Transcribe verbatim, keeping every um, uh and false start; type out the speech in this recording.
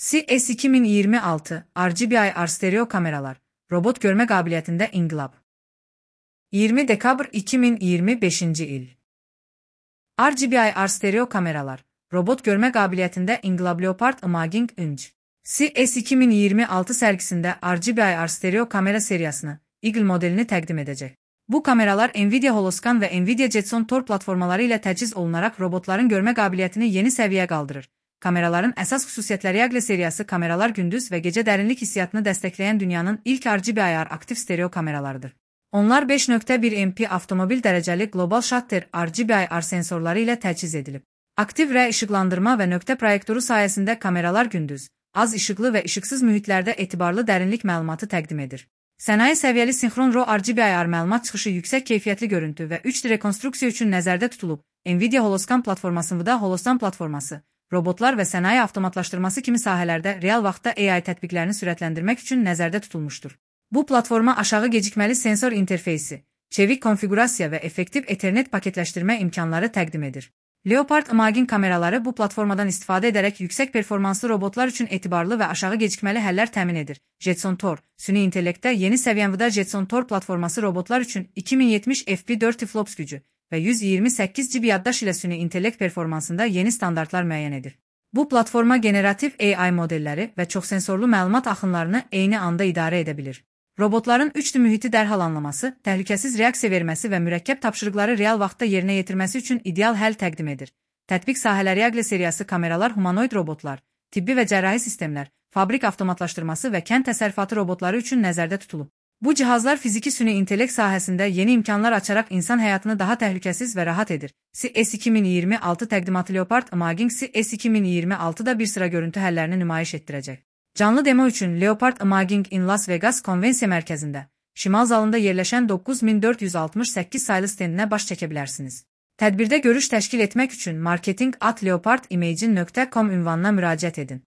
C S iki min iyirmi altı R G B I R stereo kameralar, robot görme qabiliyyətində inqilab. iyirmi dekabr iki min iyirmi beşinci il. R G B I R stereo kameralar, robot görmə qabiliyyətində inqilab Leopard Imaging Inc. C S iki min iyirmi altı sərgisində R G B I R stereo kamera seriyasını, Eagle modelini təqdim edəcək. Bu kameralar Nvidia Holoscan və Nvidia Jetson Tor platformaları ilə təchiz olunaraq robotların görmə qabiliyyətini yeni səviyyəyə qaldırır. Kameraların əsas xüsusiyyətləri Eagle seriyası kameralar gündüz və gecə dərinlik hissiyatını dəstəkləyən dünyanın ilk R G B I R aktiv stereo kameralarıdır. Onlar beş nöqtə bir M P avtomobil dərəcəli Global Shutter R G B I R sensorları ilə təchiz edilib. Aktiv R işıqlandırma və nöqtə proyektoru sayəsində kameralar gündüz, az işıqlı və işıqsız mühitlərdə etibarlı dərinlik məlumatı təqdim edir. Sənaye səviyyəli sinxron RAW R G B I R məlumat çıxışı yüksək keyfiyyətli görüntü və üç D rekonstruksiya üçün nəzərdə tutulub. Nvidia Holoscan platforması Nvidia Holoscan platforması, robotlar və sənaye avtomatlaşdırması kimi sahələrdə real vaxtda A I tətbiqlərini sürətləndirmək üçün nəzərdə tutulmuşdur. Bu platforma aşağı gecikməli sensor interfeysi, çevik konfigurasiya və effektiv Ethernet paketləşdirmə imkanları təqdim edir. Leopard Imaging kameraları bu platformadan istifadə edərək yüksək performanslı robotlar üçün etibarlı və aşağı gecikməli həllər təmin edir. Jetson Tor, süni intellektdə yeni səviyyəndə Jetson Tor platforması robotlar üçün iki min yetmiş F P dörd flops gücü və yüz iyirmi səkkiz G B yaddaş ilə süni intellekt performansında yeni standartlar müəyyən edir. Bu platforma generativ A I modelləri və çoxsensorlu məlumat axınlarını eyni anda idarə edə bilir. Robotların üç D mühiti dərhal anlaması, təhlükəsiz reaksiya verməsi və mürəkkəb tapşırıqları real vaxtda yerinə yetirməsi üçün ideal həll təqdim edir. Tətbiq sahələri Eagle seriyası kameralar humanoid robotlar, tibbi və cərrahi sistemlər, fabrik avtomatlaşdırması və kənd təsərrüfatı robotları üçün nəzərdə tutulub. Bu cihazlar fiziki süni intellekt sahəsində yeni imkanlar açaraq insan həyatını daha təhlükəsiz və rahat edir. C S iki min iyirmi altı təqdimatı Leopard Imaging C S iki min iyirmi altıda bir sıra görüntü həllərini nümayiş etdirəcək. Canlı demo üçün Leopard Imaging in Las Vegas konvensiya mərkəzində, şimal zalında yerləşən doqquz min dörd yüz altmış səkkiz saylı stendinə baş çəkə bilərsiniz. Tədbirdə görüş təşkil etmək üçün marketing at leopard imaging nöqtə com ünvanına müraciət edin.